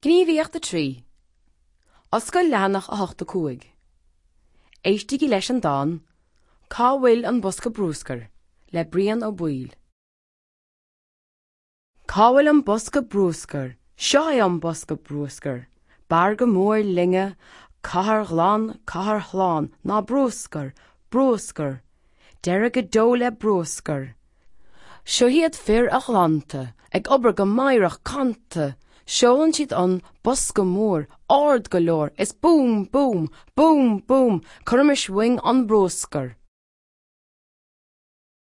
Gníomhaíocht 3. Oscail leathanach 8 5. Éistigí leis an dán Cá bhfuil an Bosca Brúscair? le Brian Ó Baoill. Cá bhfuil an bosca brúscair? Seo é an bosca brúscair. B'fhearr go mór linne cathair ghlan, cathair shlán ná brúscar, brúscar. Deireadh go deo le brúscar. Seo iad fir an ghlanta, ag obair go meidhreach canta, seolann siad an bosca mór, ard go leor, is búm, búm, búm, búm, cuirimis uainn an brúscar.